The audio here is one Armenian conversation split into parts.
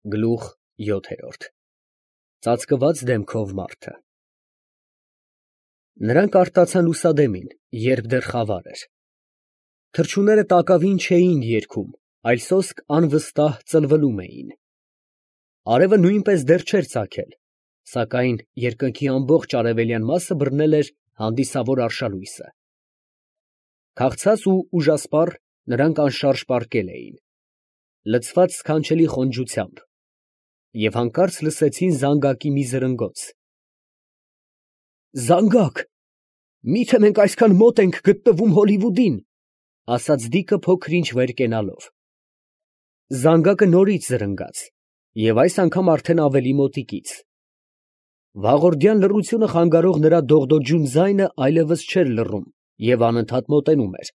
Գլուխ 7 Ծածկված դեմքով մարդը։ Նրանք արտացան լուսադեմին, երբ դեռ խավար էր։ Թռչունները տակավին չէին երգում, այլ սոսկ անվստահ ծլվլում էին։ Արևը նույնպես դեռ չէր ծագել, սակայն երկնքի ամբողջ արևելյան մասը բռնել էր հանդիսավոր արշալույսը։ Քաղցած ու ուժասպառ նրանք անշարժ պառկել էին, լցված սքանչելի խոնջությամբ, և հանկարծ լսեցին զանգակի մի զրնգոց։ «Զանգակ, մի՞թե մենք այսքան մոտ ենք գտնվում Հոլիվուդին», ֊ ասաց Դիկը փոքր֊ինչ վեր կենալով։ Զանգակը նորից զրնգաց, և այս անգամ արդեն ավելի մոտիկից։ Վաղորդյան լռությունը խանգարող նրա դողդոջուն ձայնը այլևս չէր լռում և անընդհատ մոտենում էր։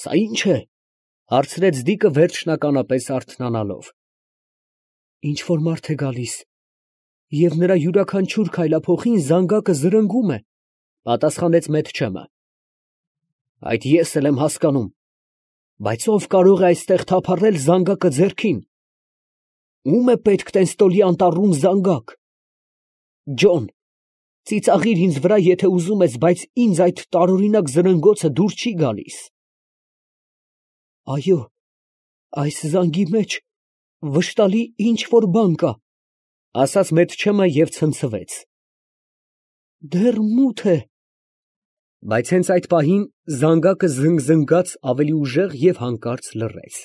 «Սա ի՞նչ է», ֊ հարցրեց Դիկը վերջնականապես արթնանալով։ «Ինչ֊որ մարդ է գալիս, և նրա յուրաքանչյուր քայլափոխին զանգակը զրնգում է», ֊ պատասխանեց Մեթչեմը։ «Այդ ես էլ եմ հասկանում, բայց ո՞վ կարող է այստեղ թափառել զանգակը ձեռքին։ Ո՞ւմ է պետք տենստոլի անտառում զանգակ։ Ջոն, ծիծաղիր ինձ վրա, եթե ուզում ես, բայց ինձ այդ տարօրինակ զրնգոցը դուր չի գալիս»։ «Այո, այս զանգի մեջ վշտալի ինչ֊որ բան կա», ֊ ասաց Մեթչեմը և ցնցվեց։ «Դեռ մութ է»։ Բայց հենց այդ պահին զանգակը զնգզնգաց ավելի ուժեղ և հանկարծ լռեց։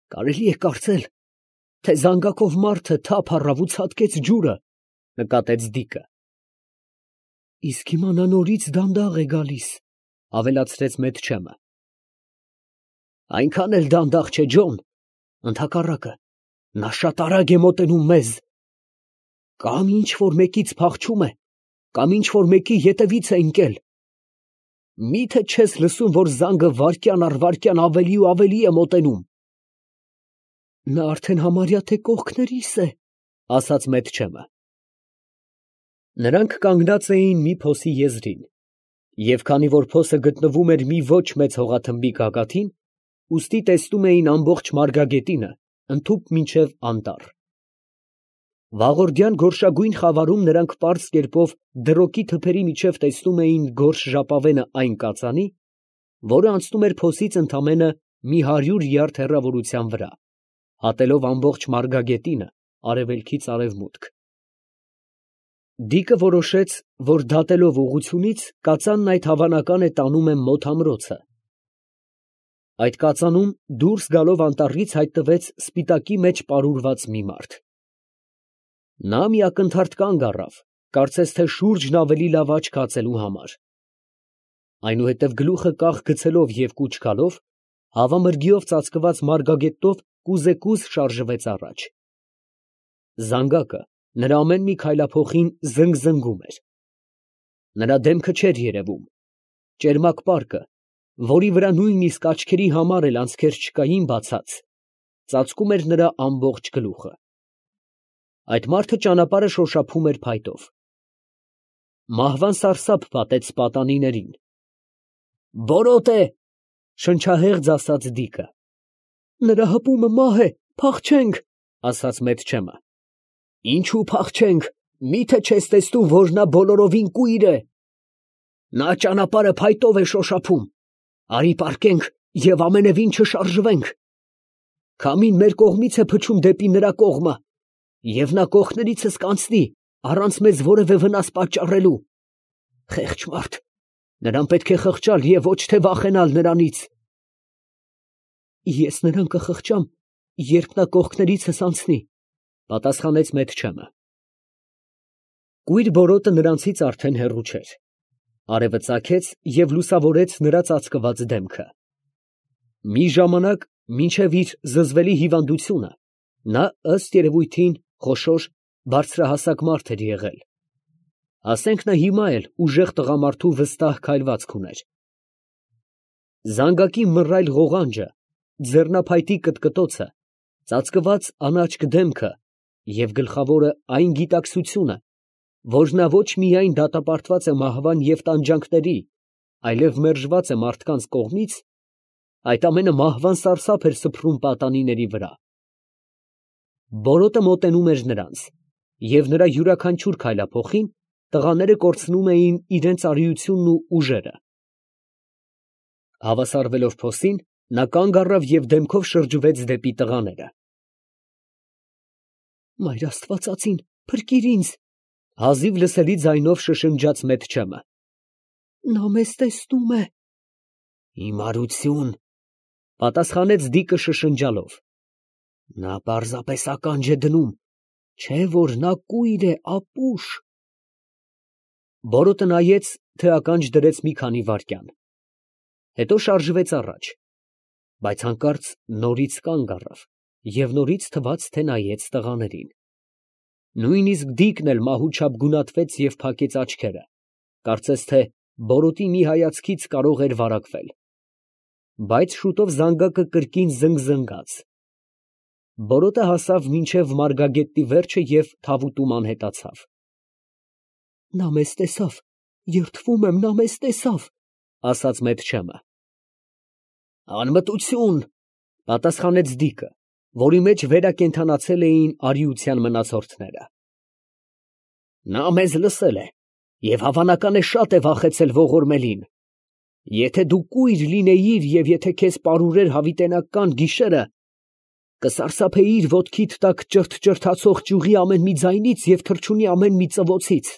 «Կարելի է կարծել, թե զանգակով մարդը թափ առավ ու ցատկեց ջուրը», ֊ նկատեց Դիկը։ «Իսկ հիմա նա նորից դանդաղ է գալիս», ֊ ավելացրեց Մեթչեմը։ «Այնքան էլ դանդաղ չէ, Ջոն, ընդհակառակը, նա շատ արագ է մոտենում մեզ։ Կամ ինչ֊որ մեկից փախչում է, կամ ինչ֊որ մեկի ետևից է ընկել։ Մի՞թե չես լսում, որ զանգը վայրկյան առ վայրկյան ավելի ու ավելի է մոտենում»։ «Նա արդեն համարյա թե կողքներիս է», ֊ ասաց Մեթչեմը։ Նրանք կանգնած էին մի փոսի եզրին, և քանի որ փոսը գտնվում էր մի ոչ մեծ հողաթմբի գագաթին, ուստի տեսնում էին ամբողջ մարգագետինը ընդհուպ մինչև անտառ։ Վաղորդյան գորշագույն խավարում նրանք պարզ կերպով դրոկի թփերի միջև տեսնում էին գորշ ժապավենը այն կածանի, որը անցնում էր փոսից ընդամենը մի 100 յարդ հեռավորության վրա, հատելով ամբողջ մարգագետինը արևելքից արևմուտք։ Դիկը որոշեց, որ դատելով ուղղությունից, կածանն այդ հավանական է տանում է մոտ ամրոցը։ Այդ կածանում դուրս գալով անտառից հայտնվեց սպիտակի մեջ պարուրված մի մարդ։ Նա մի ակնթարթ կանգ առավ, կարծես թե շուրջն ավելի լավ աչք հացելու համար։ Այնուհետև գլուխը կախ գցելով և կուչ գալով, հավամրգիով ծածկված մարգագետով կուզեկուզ շարժվեց առաջ։ Զանգակը նրա ամեն մի քայլափոխին զնգզնգում էր։ Նրա դեմքը չէր երևում։ Ճերմակ պարկը, որի վրա նույնիսկ աչքերի համար էլ անցքեր չկային բացած, ծածկում էր նրա ամբողջ գլուխը։ Այդ մարդը ճանապարհը շոշափում էր փայտով։ Մահվան սարսափ պատեց պատանիներին։ «Բորոտ է», ֊ շնչահեղձ ասաց Դիկը։ «Նրա հպումը մահ է, փախչենք», ֊ ասաց Մեթչեմը։ «Ինչու փախչենք, մի՞թե չես տեսնում, որ նա բոլորովին կույր է։ Նա ճանապարհը փայտով է շոշափում։ Արի պառկենք և ամենևին չշարժվենք։ Քամին մեր կողմից է փչում դեպի նրա կողմը, և նա կողքներիցս կանցնի, առանց մեզ որևէ վնաս պատճառելու։ Խեղճ մարդ, նրան պետք է խղճալ և ոչ թե վախենալ նրանից»։ «Ես նրան կխղճամ, երբ նա կողքներիցս անցնի», ֊ պատասխանեց Մեթչեմը։ Կույր բորոտը նրանցից արդեն հեռու չէր։ Արևը ծագեց և լուսավորեց նրա ծածկված դեմքը։ Մի ժամանակ, մինչև իր զզվելի հիվանդությունը, նա ըստ երևույթին խոշոր, բարձրահասակ մարդ էր եղել։ Ասենք նա հիմա էլ ուժեղ տղամարդու վստահ քայլվածք ուներ։ Զանգակի մռայլ ղողանջը, ձեռնափայտի կտկտոցը, ծածկված անաչք դեմքը և գլխավորը այն գիտակցությունը, որ նա ոչ միայն դատապարտված է մահվան և տանջանքների, այլև մերժված է մարդկանց կողմից, այդ ամենը մահվան սարսափ էր սփռում պատանիների վրա, Բորոտը մոտենում էր նրանց, և նրա յուրաքանչյուր քայլափոխին տղաները կորցնում էին իրենց արիությունն ու ուժերը։ Հավասարվելով փոսին, նա կանգ առավ և դեմքով շրջվեց դեպի տղաները։ «Մայր աստվածածին, փրկիր ինձ», հազիվ լսելի ձայնով շշնջաց Մեթչեմը։ «Նա մեզ տեսնում է»։ «Հիմարություն», պատասխանեց Դիկը շշնջալով։ «Նա պարզապես ականջ է դնում, չէ որ նա կույր է, ապուշ»։ Բորոտը նայեց, թե ականջ դրեց մի քանի վայրկյան, հետո շարժվեց առաջ, բայց հանկարծ նորից կանգ առավ և նորից թվաց, թե նայեց տղաներին։ Նույնիսկ Դիկն էլ մահու չափ գունատվեց և փակեց աչքերը, կարծես թե բորոտի մի հայացքից կարող էր վարակվել։ Բայց շուտով զանգակը կրկին զնգզնգաց։ Բորոտը հասավ մինչև մարգագետի վերջը և թավուտում անհետացավ։ «Նա մեզ տեսավ, երդվում եմ, նա մեզ տեսավ», ասաց Մեթչեմը։ «Անմտություն», պատասխանեց Դիկը, որի մեջ վերակենդանացել էին արիության մնացորդները։ «Նա մեզ լսել է և հավանական է շատ է վախեցել ողորմելին։ Եթե դու կույր լինեիր և եթե քեզ պարուրեր հավիտենական գիշերը, կսարսափեիր ոտքիդ տակ ճրթճրթացող ճյուղի ամեն մի ձայնից և թռչունի ամեն մի ծվոցից։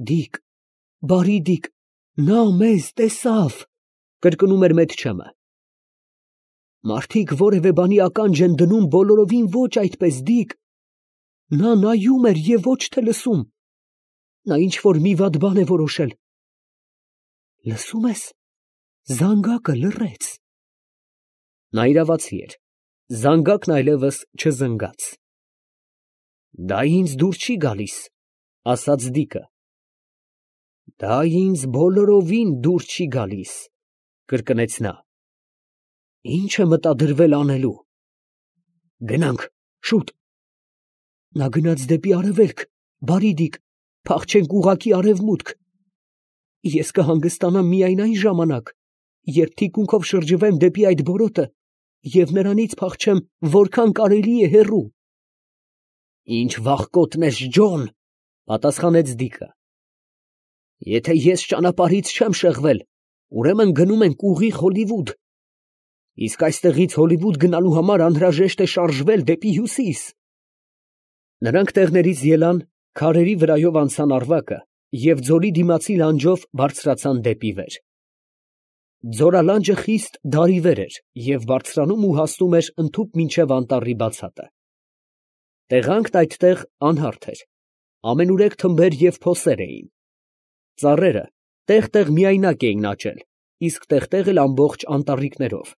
Դիկ, բարի Դիկ, նա մեզ տեսավ», կրկնում էր Մեթչեմը։ «Մարդիկ որևէ բանի ականջ են դնում, բոլորովին ոչ այդպես, Դիկ։ Նա նայում էր և ոչ թե լսում։ Նա ինչ֊որ մի վատ բան է որոշել։ Լսում ես, զանգակը լռեց»։ Նա իրավացի էր, զանգակն այլևս չզնգաց։ «Դա ինձ դուր չի գալիս», ասաց Դիկը։ «Դա ինձ բոլորովին դուր չի գալիս», կրկնեց նա։ «Ի՞նչ է մտադրվել անելու»։ «Գնանք, շուտ»։ Նա գնաց դեպի արևելք, բարի Դիկ, փախչենք ուղղակի արևմուտք։ Ես կհանգստանամ միայն այն ժամանակ, երբ թիկունքով շրջվեմ դեպի այդ բորոտը և նրանից փախչեմ որքան կարելի է հեռու։ «Ինչ վախկոտն ես, Ջոն», պատասխանեց Դիկը։ «Եթե ես ճանապարհից չեմ շեղվել, ուրեմն գնում ենք ուղիղ Հոլիվուդ։ Իսկ այստեղից Հոլիվուդ գնալու համար անհրաժեշտ է շարժվել դեպի հյուսիս»։ Նրանք տեղներից ելան, քարերի վրայով անցան Առվակը և ձորի դիմացի լանջով բարձրացան դեպի վեր։ Ձորալանջը խիստ դարիվեր էր և բարձրանում ու հասնում էր ընդհուպ մինչև անտառի բացատը։ Տեղանքն այդտեղ անհարթ էր, ամենուրեք թմբեր և փոսեր էին։ Ծառերը տեղ֊տեղ միայնակ էին աճել, իսկ տեղ֊տեղ էլ ամբողջ անտառիկներով։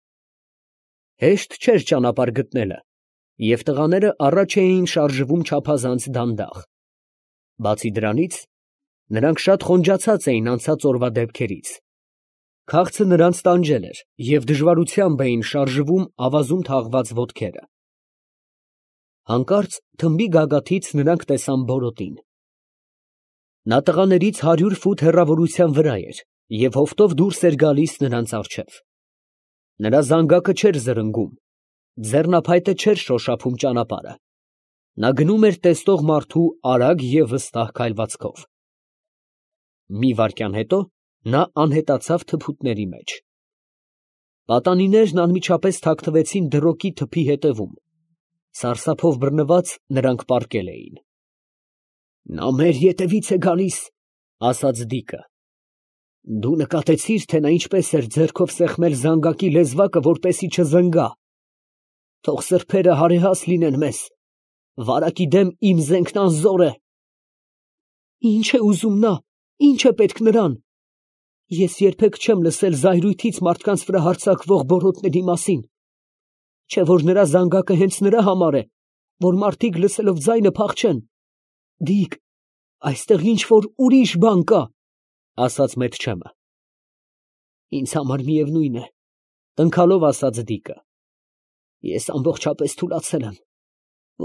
Հեշտ չէր ճանապարհ գտնելը, և տղաները առաջ էին շարժվում չափազանց դանդաղ։ Բացի դրանից, նրանք շատ խոնջացած էին անցած օրվա դեպքերից։ Քաղցը նրանց տանջել էր, և դժվարությամբ էին շարժվում ավազում թաղված ոտքերը։ Հանկարծ թմբի գագաթից նրանք տեսան Բորոտին։ Նա տղաներից 100 ֆուտ հեռավորության վրա էր և հովտով դուրս էր գալիս նրանց առջև։ Նրա զանգակը չէր զրնգում, ձեռնափայտը չէր շոշափում ճանապարհը։ Նա գնում էր տեսնող մարդու արագ և վստահ քայլվածքով։ Մի վայրկյան հետո նա անհետացավ թփուտների մեջ։ Պատանիներն անմիջապես թաքնվեցին դրոգի թփի ետևում։ Սարսափով բռնված նրանք պառկել էին։ «Նա մեր ետևից է գալիս», ասաց Դիկը։ «Դու նկատեցի՞ր, թե նա ինչպես էր ձեռքով սեղմել զանգակի լեզվակը, որպեսզի չզնգա։ Թող սրբերը հարեհաս լինեն մեզ, վարակի դեմ իմ զենքն անզոր է»։ «Ի՞նչ է ուզում նա, ի՞նչ է պետք նրան։ Ես երբեք չեմ լսել զայրույթից մարդկանց վրա հարձակվող բորոտների մասին։ Չէ՞ որ նրա զանգակը հենց նրա համար է, որ մարդիկ լսելով ձայնը փախչեն։ Դիկ, այստեղ ինչ֊որ ուրիշ բան կա», ասաց Մեթչեմը։ «Ինձ համար միևնույն է», տնքալով ասաց Դիկը։ «Ես ամբողջապես թուլացել եմ,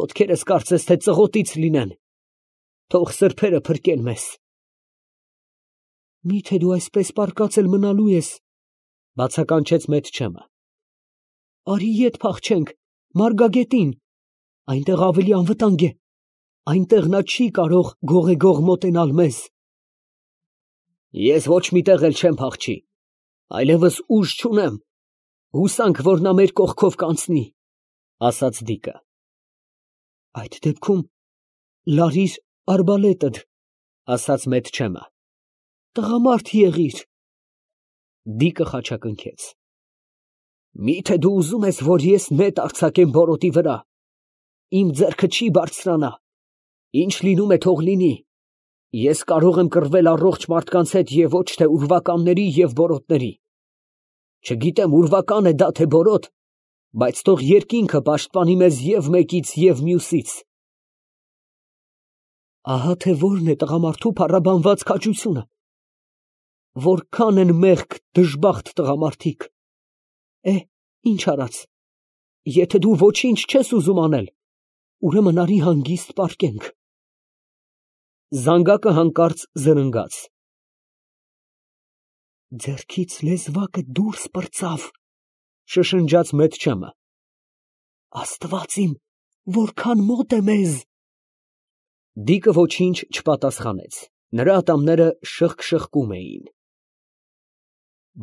ոտքերս կարծես թե ծղոտից լինեն։ Թող սրբերը փրկեն մեզ»։ «Մի՞թե դու այսպես պառկած էլ մնալու ես», բացականչեց Մեթչեմը։ «Արի ետ փախչենք, մարգագետին։ Այնտեղ ավելի անվտանգ է, այնտեղ նա չի կարող գողեգող մոտենալ մեզ։ Ես ոչ մի տեղ էլ չեմ փախչի, այլևս ուժ չունեմ, հուսանք, որ նա մեր կողքով կանցնի, ասաց Դիկը։ Այդ դեպքում լարիր արբալետդ, ասաց Մեթչեմը, տղամարդ եղիր։ Դիկը խաչակնքեց։ Միթե դու ուզում ես, որ ես նետ արձակեմ բորոտի վրա, իմ ձեռքը չի բարձրանա, ինչ լինում է թող լինի, ես կարող եմ կռվել առողջ մարդկանց հետ և ոչ թե ուրվականների և բորոտների, չգիտեմ ուրվական է դա թե բորոտ, բայց թող երկինքը պաշտպանի մեզ և մեկից և մյուսից։ Ահա թե որն է տղամարդու փառաբանված քաջությունը, որքան են մեղք դժբախտ տղամարդիկ, ինչ արած, եթե դու ոչինչ չես ուզում անել, ուրեմն արի հանգիստ պառկենք։ Զանգակը հանկարծ զրնգաց։ Ձեռքից լեզվակը դուրս պրծավ, շշնջաց Մեթչեմը։ Աստված իմ, որքան մոտ է մեզ։ Դիկը ոչինչ չպատասխանեց, նրա ատամները շըխկ-շըխկում էին։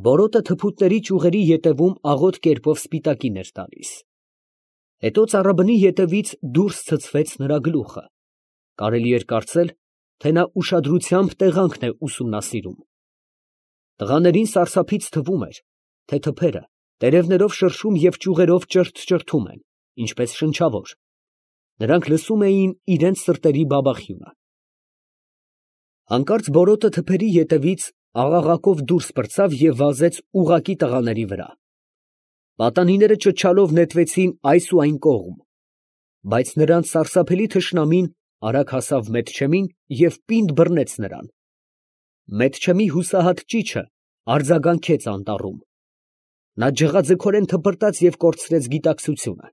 Բորոտը թփուտների ճյուղերի ետևում աղոտ կերպով սպիտակին էր տալիս։ Հետո ծառաբնի ետևից դուրս ցցվեց նրա գլուխը։ Կարելի էր կարծել, թե նա ուշադրությամբ տեղանքն է ուսումնասիրում։ Տղաներին սարսափից թվում էր, թե թփերը տերևներով շրշում և ճյուղերով ճրթ֊ճրթում են, ինչպես շնչավոր։ Նրանք լսում էին իրենց սրտերի բաբախյունը։ Հանկարծ բորոտը թփերի ետևից աղաղակով դուրս պրծավ և վազեց ուղղակի տղաների վրա։ Պատանիները ճչալով նետվեցին այս ու այն կողմ, բայց նրանց սարսափելի թշնամին արագ հասավ Մեթչեմին և պինդ բռնեց նրան։ Մեթչեմի հուսահատ ճիչը արձագանքեց անտառում։ Նա ջղաձգորեն թպրտաց և կորցրեց գիտակցությունը։